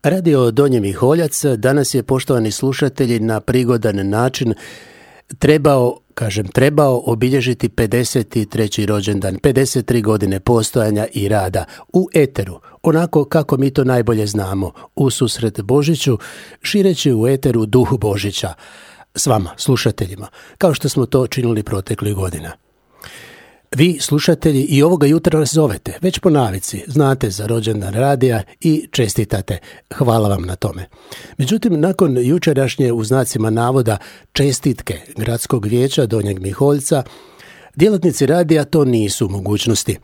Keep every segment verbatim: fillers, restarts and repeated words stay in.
Radio Donji Miholjac danas je, poštovani slušatelji, na prigodan način trebao, kažem trebao, obilježiti pedeset treći rođendan, pedeset tri godine postojanja i rada u eteru, onako kako mi to najbolje znamo, u susret Božiću, šireći u eteru duh Božića s vama, slušateljima, kao što smo to činili proteklih godina. Vi, slušatelji, i ovoga jutra nas zovete, već po navici, znate za rođendan radija i čestitate. Hvala vam na tome. Međutim, nakon jučerašnje, u znacima navoda, čestitke Gradskog vijeća Donjeg Miholjca, djelatnici radija to nisu u mogućnosti.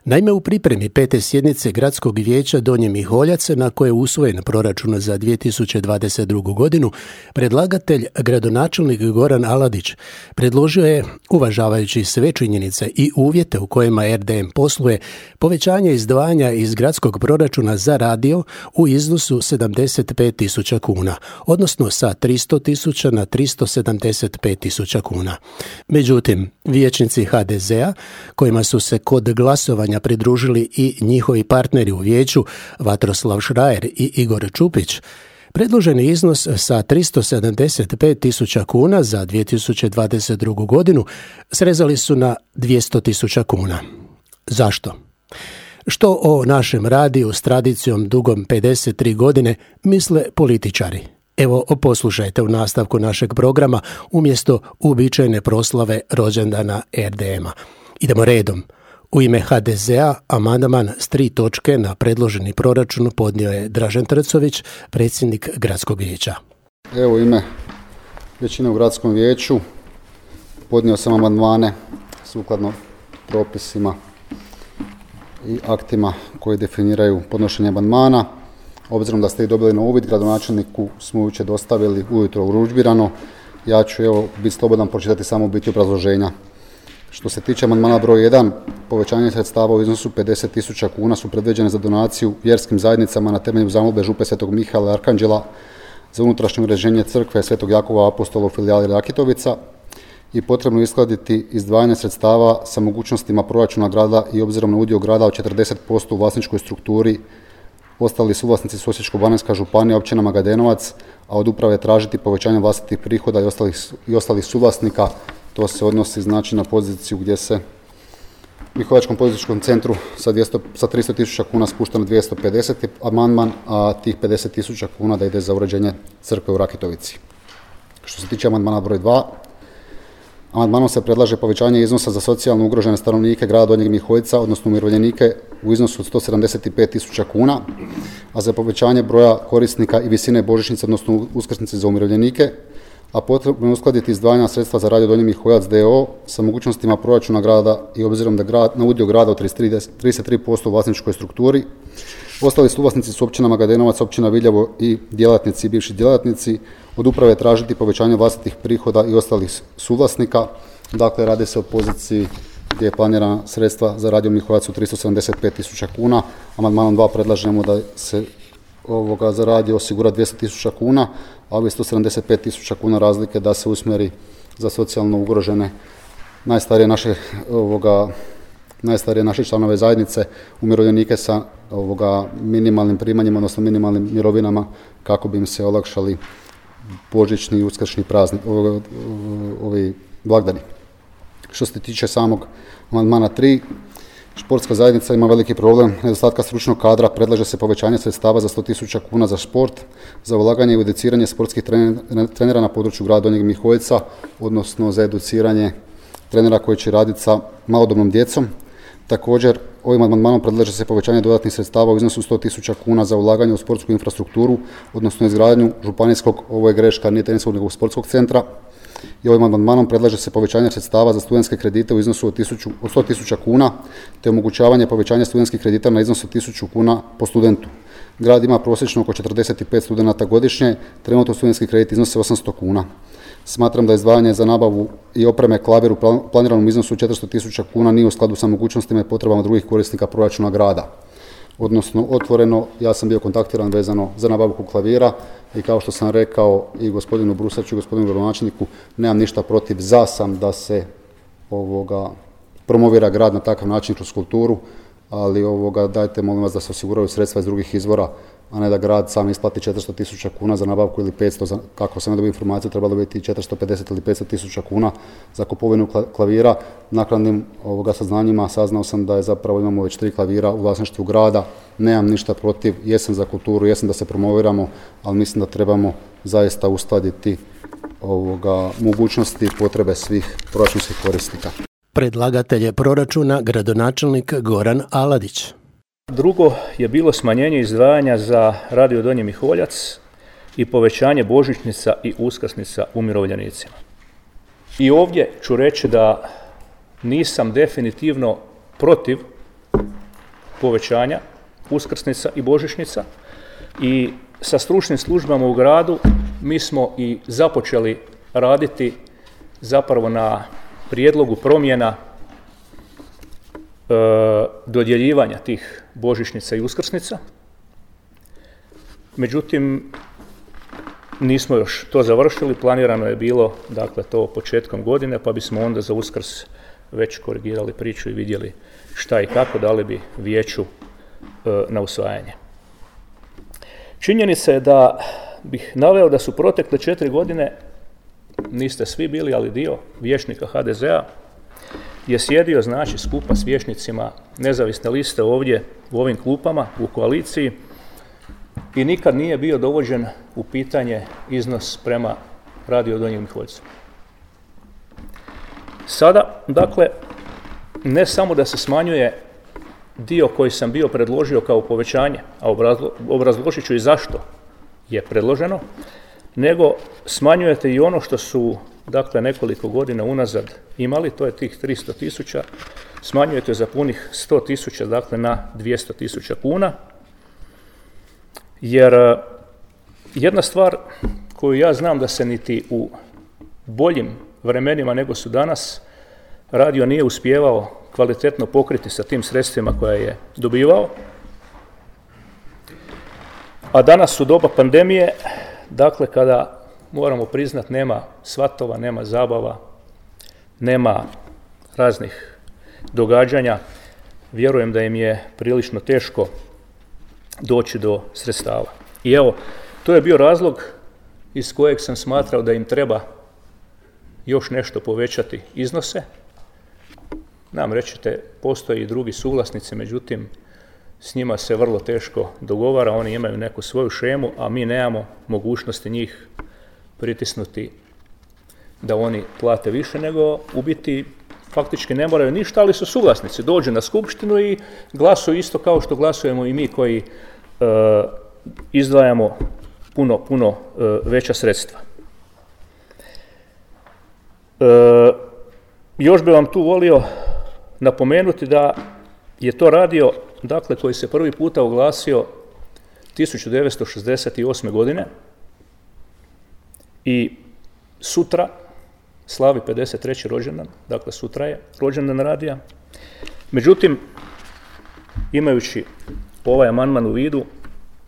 Naime, u pripremi pete sjednice Gradskog vijeća Donji Miholjac, na koje je usvojen proračun za dvije tisuće dvadeset drugu. godinu, predlagatelj, gradonačelnik Goran Aladić, predložio je, uvažavajući sve činjenice i uvjete u kojima er de em posluje, povećanje izdvajanja iz gradskog proračuna za radio u iznosu sedamdeset pet tisuća kuna, odnosno sa tristo tisuća na tristo sedamdeset pet tisuća kuna. Međutim, vijećnici ha de zea, kojima su se kod glasovanja pridružili i njihovi partneri u vijeću Vatroslav Šrajer i Igor Čupić, predloženi iznos sa tristo sedamdeset pet tisuća kuna za dvije tisuće dvadeset drugu. godinu srezali su na dvjesto tisuća kuna. Zašto? Što o našem radiju s tradicijom dugom pedeset tri godine misle političari? Evo, poslušajte u nastavku našeg programa umjesto uobičajene proslave rođendana er de ema. Idemo redom. U ime ha de zea amandman s tri točke na predloženi proračun podnio je Dražen Trcović, predsjednik Gradskog vijeća. Evo, u ime većine u Gradskom vijeću podnio sam amandmane sukladno propisima i aktima koji definiraju podnošenje amandmana. Obzirom da ste ih dobili na uvid, gradonačelniku smo jučer dostavili ujutro urudžbirano. Ja ću evo biti slobodan pročitati samo biti obrazloženja. Što se tiče amandmana broj jedan, povećanje sredstava u iznosu pedeset tisuća kuna su predviđene za donaciju vjerskim zajednicama na temelju zamolbe župe Svetog Mihaela Arkanđela za unutrašnje uređenje crkve Svetog Jakova Apostola u filijali Rakitovica i potrebno uskladiti izdvajanje sredstava sa mogućnostima proračuna grada i obzirom na udio grada od četrdeset posto u vlasničkoj strukturi. Ostali suvlasnici su Osječko-baranjska županija, općina Magadenovac, a od uprave tražiti povećanje vlastitih prihoda i ostalih, i ostalih suvlasnika. To se odnosi znači na poziciju gdje se Miholjačkom poduzetničkom centru sa, dvjesto, sa tristo tisuća kuna spušta na dvjesto pedeset amandman, a tih pedeset tisuća kuna da ide za uređenje crkve u Rakitovici. Što se tiče amandmana broj dva, amandmanom se predlaže povećanje iznosa za socijalno ugrožene stanovnike grada Donjeg Miholjca, odnosno umirovljenike, u iznosu od sto sedamdeset pet tisuća kuna, a za povećanje broja korisnika i visine božićnice, odnosno uskrsnice za umirovljenike, a potrebno je uskladiti izdvajanja sredstva za radio Donji Miholjac de o o sa mogućnostima proračuna grada i obzirom da grad, na udio grada od trideset tri posto u vlasničkoj strukturi. Ostali suvlasnici su općina Magadenovac, općina Viljevo i djelatnici i bivši djelatnici. Od uprave tražiti povećanje vlastitih prihoda i ostalih suvlasnika. Dakle, radi se o poziciji gdje je planirana sredstva za radio Miholjac u tristo sedamdeset pet tisuća kuna. Amandmanom dva predlažemo da se ovoga za radio osigura dvjesto tisuća kuna, a ovih sto sedamdeset pet tisuća kuna razlike da se usmjeri za socijalno ugrožene najstarije naše ovoga najstarije naše članove zajednice, umirovljenike sa ovoga minimalnim primanjima, odnosno minimalnim mirovinama, kako bi im se olakšali božićni i uskršnji praznik, ovi, ovi blagdani. Što se tiče samog amandmana tri, športska zajednica ima veliki problem nedostatka stručnog kadra, predlaže se povećanje sredstava za sto tisuća kuna za šport, za ulaganje i educiranje sportskih trenera na području grada Donjeg Miholjca, odnosno za educiranje trenera koji će raditi sa malodobnom djecom. Također, ovim amandmanom predlaže se povećanje dodatnih sredstava u iznosu sto tisuća kuna za ulaganje u sportsku infrastrukturu, odnosno izgradnju županijskog, ovo je greška, nije teniskog nego sportskog centra. I ovim amandmanom predlaže se povećanje sredstava za studentske kredite u iznosu od, tisuću, od sto tisuća kuna, te omogućavanje povećanja studentskih kredita na iznos od tisuću kuna po studentu. Grad ima prosječno oko četrdeset pet studenata godišnje, trenutno studentski kredit iznose osamsto kuna. Smatram da izdvajanje za nabavu i opreme klavir u planiranom iznosu četiristo tisuća kuna nije u skladu sa mogućnostima i potrebama drugih korisnika proračuna grada. Odnosno, otvoreno, ja sam bio kontaktiran vezano za nabavku klavira i kao što sam rekao i gospodinu Brusaču i gospodinu gradonačelniku, nemam ništa protiv, za sam da se ovoga promovira grad na takav način kroz kulturu, ali ovoga dajte molim vas da se osiguraju sredstva iz drugih izvora a ne da grad sam isplati četiristo tisuća kuna za nabavku ili petsto, za, kako sam dobio informaciju, trebalo biti četiristo pedeset ili petsto tisuća kuna za kupovinu klavira. Naknadnim ovoga saznanjima saznao sam da je zapravo imamo već tri klavira u vlasništvu grada. Nemam ništa protiv, jesam za kulturu, jesam da se promoviramo, ali mislim da trebamo zaista uskladiti ovoga mogućnosti i potrebe svih proračunskih korisnika. Predlagatelj je proračuna gradonačelnik Goran Aladić. Drugo je bilo smanjenje izdvajanja za Radio Donji Miholjac i povećanje božićnica i uskrsnica umirovljenicima. I ovdje ću reći da nisam definitivno protiv povećanja uskrsnica i božićnica i sa stručnim službama u gradu mi smo i započeli raditi zapravo na prijedlogu promjena e, dodjeljivanja tih božićnica i uskrsnica. Međutim, nismo još to završili, planirano je bilo dakle to početkom godine, pa bismo onda za Uskrs već korigirali priču i vidjeli šta i kako, dali bi vijeću e, na usvajanje. Činjenica je da bih naveo da su protekle četiri godine, niste svi bili, ali dio vijećnika ha de zea je sjedio znači skupa s vijećnicima nezavisne liste ovdje u ovim klupama u koaliciji i nikad nije bio dovođen u pitanje iznos prema Radio Donjem Miholjcu. Sada, dakle, ne samo da se smanjuje dio koji sam bio predložio kao povećanje, a obrazlo, obrazložit ću i zašto je predloženo, nego smanjujete i ono što su dakle nekoliko godina unazad imali, to je tih tristo tisuća, smanjujete za punih sto tisuća, dakle na dvjesto tisuća kuna, jer jedna stvar koju ja znam da se niti u boljim vremenima nego su danas, radio nije uspijevao kvalitetno pokriti sa tim sredstvima koja je dobivao, a danas u doba pandemije, dakle kada moramo priznat nema svatova, nema zabava, nema raznih događanja, vjerujem da im je prilično teško doći do sredstava. I evo, to je bio razlog iz kojeg sam smatrao da im treba još nešto povećati iznose. Nam rećete, postoje i drugi suvlasnici, međutim, s njima se vrlo teško dogovara, oni imaju neku svoju šemu, a mi nemamo mogućnosti njih pritisnuti da oni plate više, nego u biti faktički ne moraju ništa, ali su suvlasnici. Dođu na skupštinu i glasuju isto kao što glasujemo i mi koji e, izdvajamo puno, puno e, veća sredstva. E, još bi vam tu volio napomenuti da je to radio, dakle, koji se prvi puta oglasio tisuću devetsto šezdeset osme. godine i sutra slavi pedeset treći rođendan, dakle sutra je rođendan radija. Međutim, imajući ovaj amandman u vidu,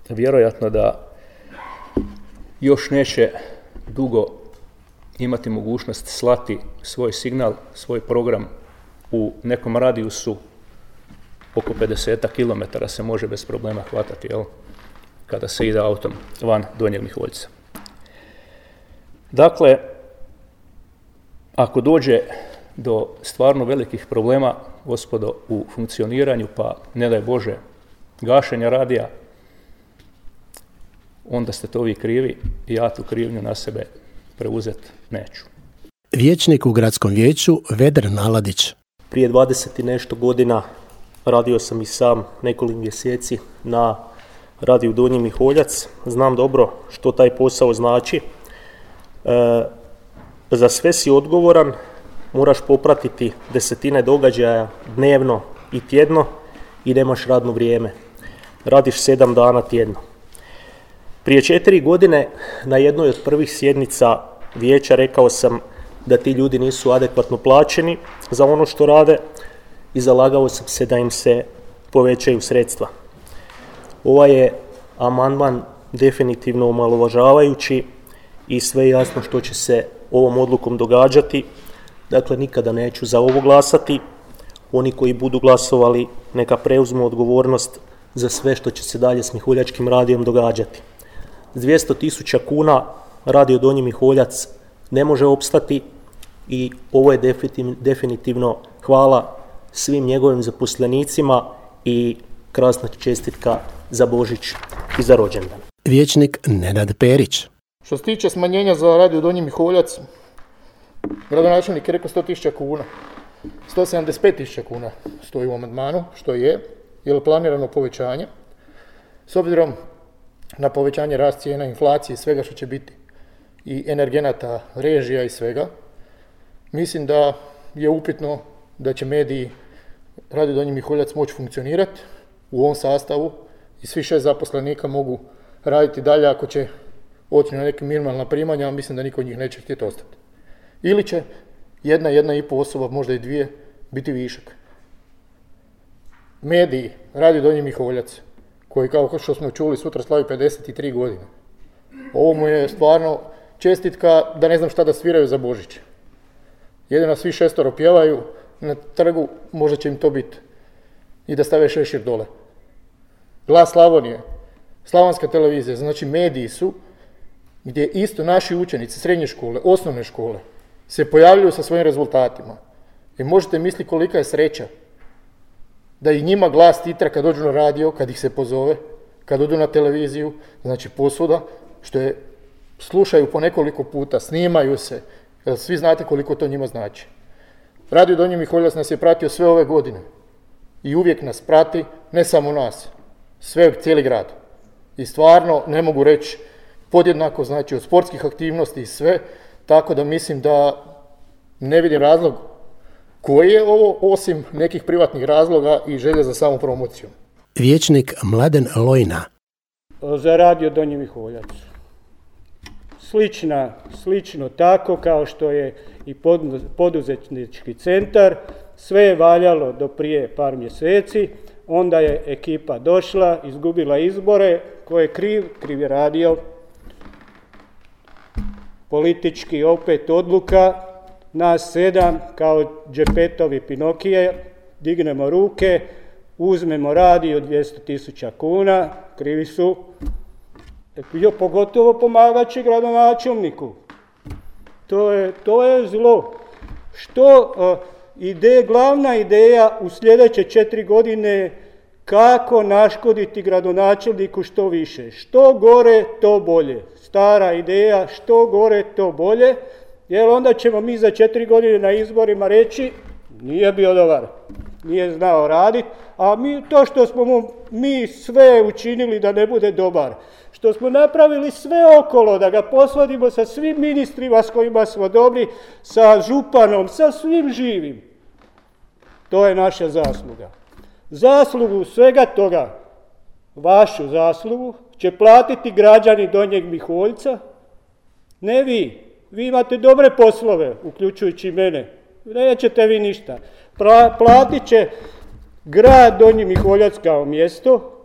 vjerojatno da još neće dugo imati mogućnost slati svoj signal, svoj program u nekom radijusu oko pedeset kilometara se može bez problema hvatati, jel? Kada se ide autom van Donjeg Miholjca. Dakle, ako dođe do stvarno velikih problema, gospodo, u funkcioniranju, pa ne daj Bože, gašenja radija, onda ste to vi krivi i ja tu krivnju na sebe preuzeti neću. Vijećnik u gradskom vijeću Vedran Aladić. Prije dvadeset i nešto godina radio sam i sam nekoliko mjeseci na radiju Donji Miholjac. Znam dobro što taj posao znači. E, za sve si odgovoran, moraš popratiti desetine događaja dnevno i tjedno i nemaš radno vrijeme. Radiš sedam dana tjedno. Prije četiri godine na jednoj od prvih sjednica vijeća rekao sam da ti ljudi nisu adekvatno plaćeni za ono što rade i zalagao sam se da im se povećaju sredstva. Ovaj je amandman definitivno omalovažavajući i sve jasno što će se ovom odlukom događati. Dakle, nikada neću za ovo glasati. Oni koji budu glasovali neka preuzmu odgovornost za sve što će se dalje s Miholjačkim radijom događati. S dvjesto tisuća kuna Radio Donji Miholjac ne može opstati i ovo je definitivno hvala svim njegovim zaposlenicima i krasna čestitka za Božić i za rođendan. Vijećnik Nenad Perić. Što se tiče smanjenja za Radio Donji Miholjac, gradonačelnik je rekao sto tisuća kuna. sto sedamdeset pet tisuća kuna stoji u amandmanu, što je, je planirano povećanje. S obzirom na povećanje rast cijena, inflacije i svega što će biti, i energenata, režija i svega, mislim da je upitno da će mediji Radio Donji Miholjac moći funkcionirati u ovom sastavu i svi šest zaposlenika mogu raditi dalje ako će oći na neke minimalna primanja, a mislim da niko od njih neće htjeti ostati. Ili će jedna, jedna i pol osoba, možda i dvije, biti višak. Mediji, Radio Donji Miholjac, koji kao što smo čuli sutra slavi pedeset tri godine. Ovo mu je stvarno čestitka da ne znam šta da sviraju za Božić. Jedino svi šestoro pjevaju na trgu, možda će im to biti i da stave šešir dole. Glas Slavonije, Slavonska televizija, znači mediji su gdje isto naši učenici, srednje škole, osnovne škole, se pojavljuju sa svojim rezultatima. I možete misliti kolika je sreća da i njima glas titra kad dođu na radio, kad ih se pozove, kad odu na televiziju, znači posvuda, što je slušaju po nekoliko puta, snimaju se, jer svi znate koliko to njima znači. Radio Donji Miholjac nas je pratio sve ove godine i uvijek nas prati, ne samo nas, sve cijeli grad. I stvarno ne mogu reći podjednako, znači od sportskih aktivnosti i sve, tako da mislim da ne vidim razlog koji je ovo, osim nekih privatnih razloga i želje za samu promociju. Vijećnik Mladen Lojna. Za Radio Donji Miholjac. Slična, slično tako kao što je i poduzetnički centar, sve je valjalo do prije par mjeseci, onda je ekipa došla, izgubila izbore, ko je kriv, kriv je radio. Politički opet odluka, nas sedam kao džepetovi Pinokije, dignemo ruke, uzmemo radio dvjesto tisuća kuna, krivi su, jo, pogotovo pomagači gradonačelniku. To je, to je zlo. Što uh, ide, glavna ideja u sljedeće četiri godine kako naškoditi gradonačelniku što više. Što gore, to bolje. Stara ideja, što gore, to bolje. Jer onda ćemo mi za četiri godine na izborima reći nije bio dobar, nije znao raditi, a mi to što smo mu, mi sve učinili da ne bude dobar, što smo napravili sve okolo da ga posvadimo sa svim ministrima s kojima smo dobri, sa županom, sa svim živim. To je naša zasluga. Zaslugu svega toga, vašu zaslugu, će platiti građani Donjeg Miholjca, ne vi. Vi imate dobre poslove, uključujući mene. Nećete vi ništa. Pra, platit će grad Donji Miholjac kao mjesto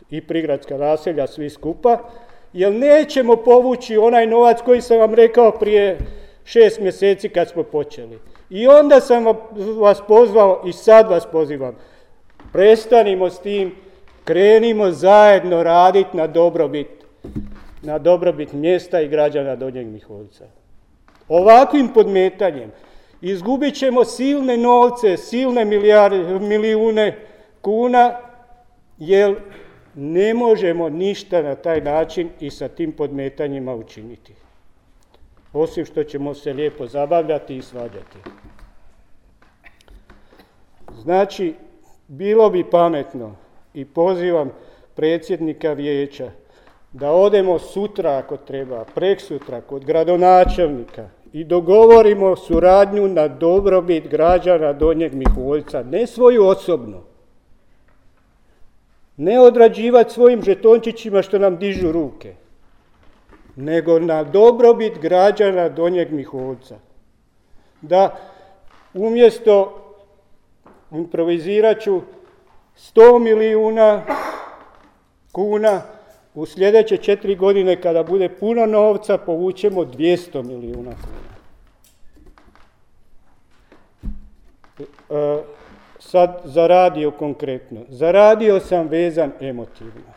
i prigradska naselja, svi skupa, jer nećemo povući onaj novac koji sam vam rekao prije šest mjeseci kad smo počeli. I onda sam vas pozvao i sad vas pozivam. Prestanimo s tim, krenimo zajedno raditi na dobrobit. na dobrobit mjesta i građana Donjeg Miholjca. Ovakvim podmetanjem izgubit ćemo silne novce, silne milijarde, milijune kuna, jer ne možemo ništa na taj način i sa tim podmetanjima učiniti. Osim što ćemo se lijepo zabavljati i svađati. Znači, bilo bi pametno i pozivam predsjednika vijeća da odemo sutra ako treba, preksutra kod gradonačelnika i dogovorimo suradnju na dobrobit građana Donjeg Miholjca, ne svoju osobno. Ne odrađivati svojim žetončićima što nam dižu ruke, nego na dobrobit građana Donjeg Miholjca. Da umjesto, improvizirat ću, sto milijuna kuna, u sljedeće četiri godine kada bude puno novca povučemo dvjesto milijuna kuna. E, sad za radio konkretno. Za radio sam vezan emotivno.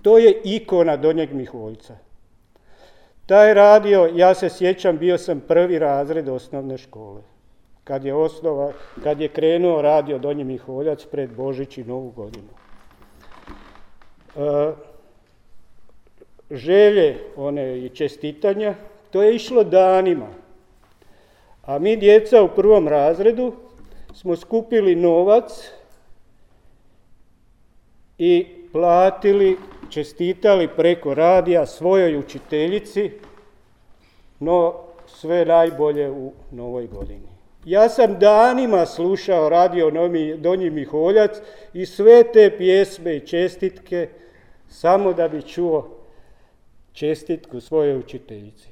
To je ikona Donjeg Miholjca. Taj radio, ja se sjećam, bio sam prvi razred osnovne škole. Kad je, osnova, kad je krenuo radio Donji Miholjac pred Božić i Novu godinu. E, želje, one i čestitanja, to je išlo danima. A mi djeca u prvom razredu smo skupili novac i platili, čestitali preko radija svojoj učiteljici, no sve najbolje u Novoj godini. Ja sam danima slušao radio Donji Miholjac i sve te pjesme i čestitke samo da bi čuo čestitku svojoj učiteljici.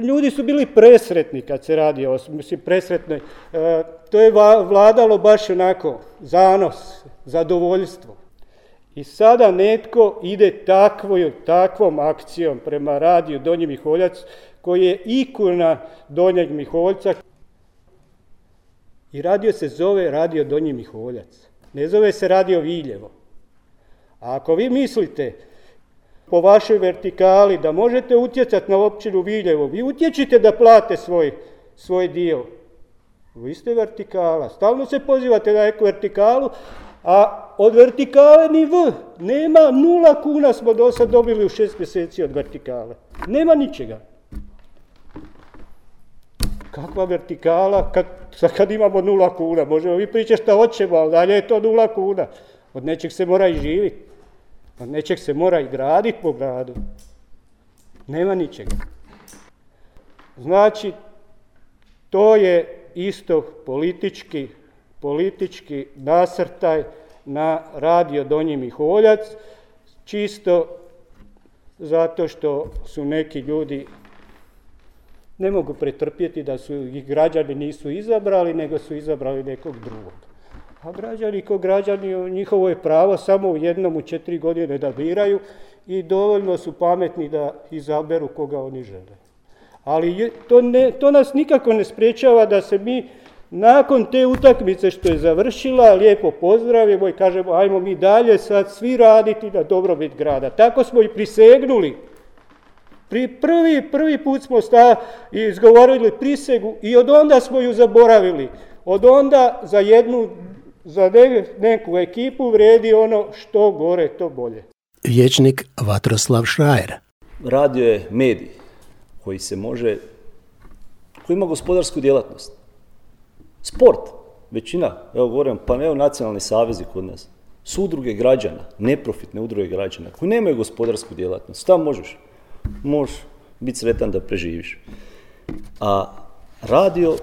Ljudi su bili presretni kad se radi o, mislim presretni, e, to je vladalo baš onako zanos, zadovoljstvo. I sada netko ide takvoj, takvom akcijom prema radiju Donji Miholjac, koji je ikona Donjeg Miholjca. I radio se zove radio Donji Miholjac, ne zove se radio Viljevo. A ako vi mislite po vašoj vertikali da možete utjecati na općinu Viljevo, vi utječite da plate svoj, svoj dio. Vi ste vertikala, stalno se pozivate na neku vertikalu, a od vertikale ni V, nema, nula kuna smo do sad dobili u šest mjeseci od vertikale. Nema ničega. Kakva vertikala, kad, kad imamo nula kuna, možemo vi pričati šta hoćemo, ali dalje je to nula kuna. Od nečeg se mora i živjeti, od nečeg se mora i graditi po gradu. Nema ničega. Znači, to je isto politički, politički nasrtaj na radio Donji Miholjac, čisto zato što su neki ljudi ne mogu pretrpjeti da su ih građani nisu izabrali, nego su izabrali nekog drugog. A građani ko građani, njihovo je pravo samo u jednom u četiri godine da biraju i dovoljno su pametni da izaberu koga oni žele. Ali to, ne, to nas nikako ne sprječava da se mi nakon te utakmice što je završila lijepo pozdravimo i kažemo ajmo mi dalje sad svi raditi na dobrobit grada. Tako smo i prisegnuli. Pri prvi, prvi put smo sta, izgovorili prisegu i od onda smo ju zaboravili. Od onda za jednu, za ne, neku ekipu vredi ono što gore, to bolje. Vijećnik Vatroslav Šrajer. Radio je medij koji se može, koji ima gospodarsku djelatnost. Sport, većina, evo govorim, pa evo nacionalni savezi kod nas, su udruge građana, neprofitne udruge građana, koji nemaju gospodarsku djelatnost. Šta možeš? Možeš biti sretan da preživiš. A radio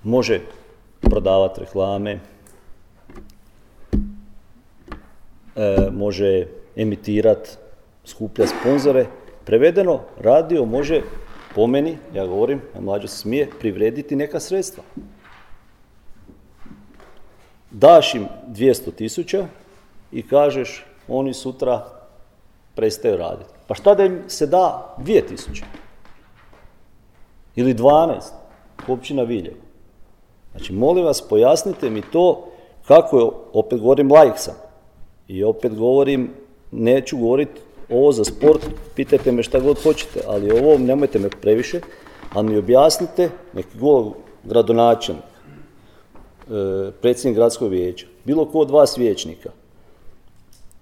može prodavati reklame, e, može emitirati, skuplja sponzore. Prevedeno, radio može, po meni, ja govorim, a mlađe se smije, privrediti neka sredstva. Daš im dvjesto tisuća i kažeš, oni sutra prestaju raditi. Pa šta da im se da dvije tisuće? Ili dvanaest? Općina Viljevo. Znači, molim vas, pojasnite mi to kako je, opet govorim, laik sam. I opet govorim, neću govoriti ovo za sport, pitajte me šta god hoćete, ali ovo nemojte me previše, ali mi objasnite, neki gol gradonačelnik, e, predsjednik gradskog vijeća, bilo ko od vas vijećnika,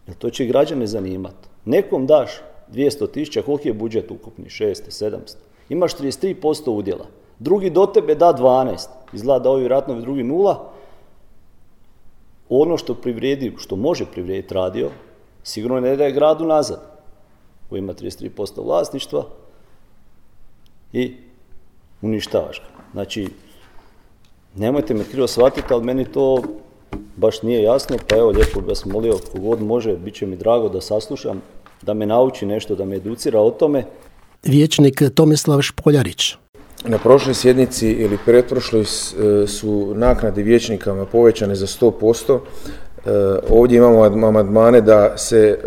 jer to će građane zanimati. Nekom daš dvjesto tisuća, koliki je budžet ukupni, šesto, sedamsto, imaš trideset tri posto udjela, drugi do tebe da dvanaest, izgleda da ovi vjerojatno drugi nula, ono što privrijedi, što može privrijediti radio, sigurno ne daje gradu nazad, koji ima trideset tri posto vlasništva i uništavaš ga. Znači, nemojte me krivo shvatiti, ali meni to baš nije jasno, pa evo lijepo bih vas molio, kogod može, bit će mi drago da saslušam, da me nauči nešto, da me educira o tome. Vijećnik Tomislav Špoljarić. Na prošloj sjednici ili pretprošloj su naknade vijećnikama povećane za sto posto. Ovdje imamo amandmane da se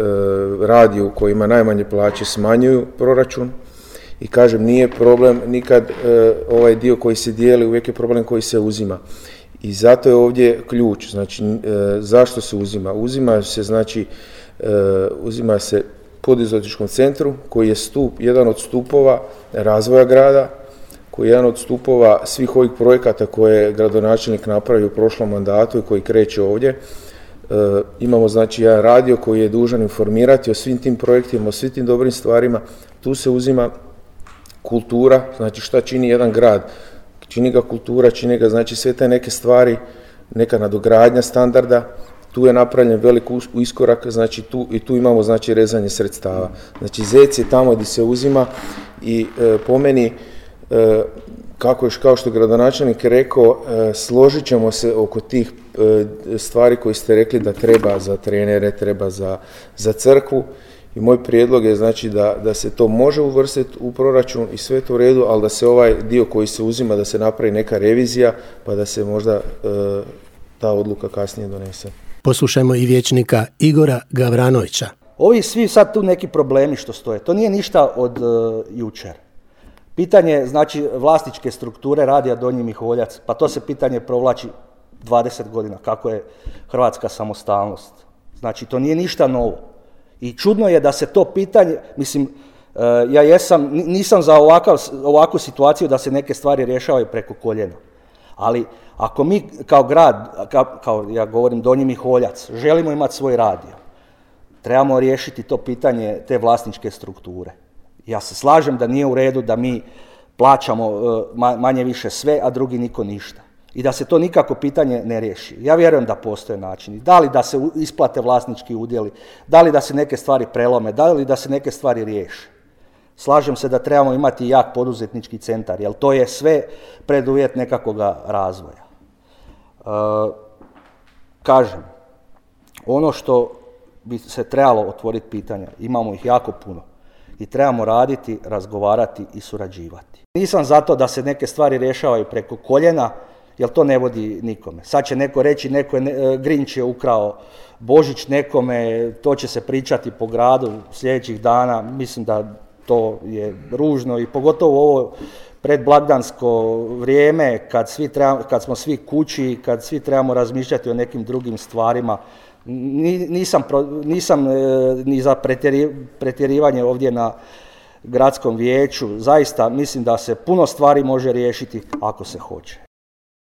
radiju koji ima najmanje plaće smanjuju proračun i kažem nije problem nikad ovaj dio koji se dijeli, uvijek je problem koji se uzima. I zato je ovdje ključ, znači e, zašto se uzima? Uzima se, znači, e, uzima se poduzetničkom centru koji je stup, jedan od stupova razvoja grada, koji je jedan od stupova svih ovih projekata koje je gradonačelnik napravio u prošlom mandatu i koji kreće ovdje. E, imamo znači jedan radio koji je dužan informirati o svim tim projektima, o svim tim dobrim stvarima. Tu se uzima kultura, znači šta čini jedan grad. Čini ga kultura, čini ga znači sve te neke stvari, neka nadogradnja standarda. Tu je napravljen velik iskorak, znači tu, i tu imamo znači rezanje sredstava. Znači zec je tamo gdje se uzima i e, po meni, e, kako je, kao što je gradonačelnik rekao, e, složit ćemo se oko tih e, stvari koje ste rekli da treba za trenere, treba za, za crkvu. I moj prijedlog je znači da, da se to može uvrstiti u proračun i sve to u redu, ali da se ovaj dio koji se uzima, da se napravi neka revizija, pa da se možda e, ta odluka kasnije donese. Poslušajmo i vijećnika Igora Gavranovića. Ovi svi sad tu neki problemi što stoje, to nije ništa od uh, jučer. Pitanje, znači, vlasničke strukture Radija Donji Miholjac, pa to se pitanje provlači dvadeset godina, kako je hrvatska samostalnost. Znači, to nije ništa novo. I čudno je da se to pitanje, mislim, uh, ja jesam, nisam za ovakav, ovakvu situaciju da se neke stvari rješavaju preko koljena. Ali ako mi kao grad, kao, kao ja govorim Donji Miholjac, želimo imati svoj radio, trebamo riješiti to pitanje te vlasničke strukture. Ja se slažem da nije u redu da mi plaćamo uh, manje više sve, a drugi niko ništa. I da se to nikako pitanje ne riješi. Ja vjerujem da postoje načini. Da li da se isplate vlasnički udjeli, da li da se neke stvari prelome, da li da se neke stvari riješe. Slažem se da trebamo imati jak poduzetnički centar, jer to je sve preduvjet nekakvog razvoja. E, kažem, ono što bi se trebalo otvoriti pitanja, imamo ih jako puno i trebamo raditi, razgovarati i surađivati. Nisam zato da se neke stvari rješavaju preko koljena, jer to ne vodi nikome. Sad će neko reći, neko je, Grinč je ukrao Božić nekome, to će se pričati po gradu sljedećih dana, mislim da to je ružno i pogotovo ovo predblagdansko vrijeme kad, svi treba, kad smo svi kući, kad svi trebamo razmišljati o nekim drugim stvarima. Nisam, nisam ni za pretjerivanje ovdje na gradskom vijeću. Zaista mislim da se puno stvari može riješiti ako se hoće.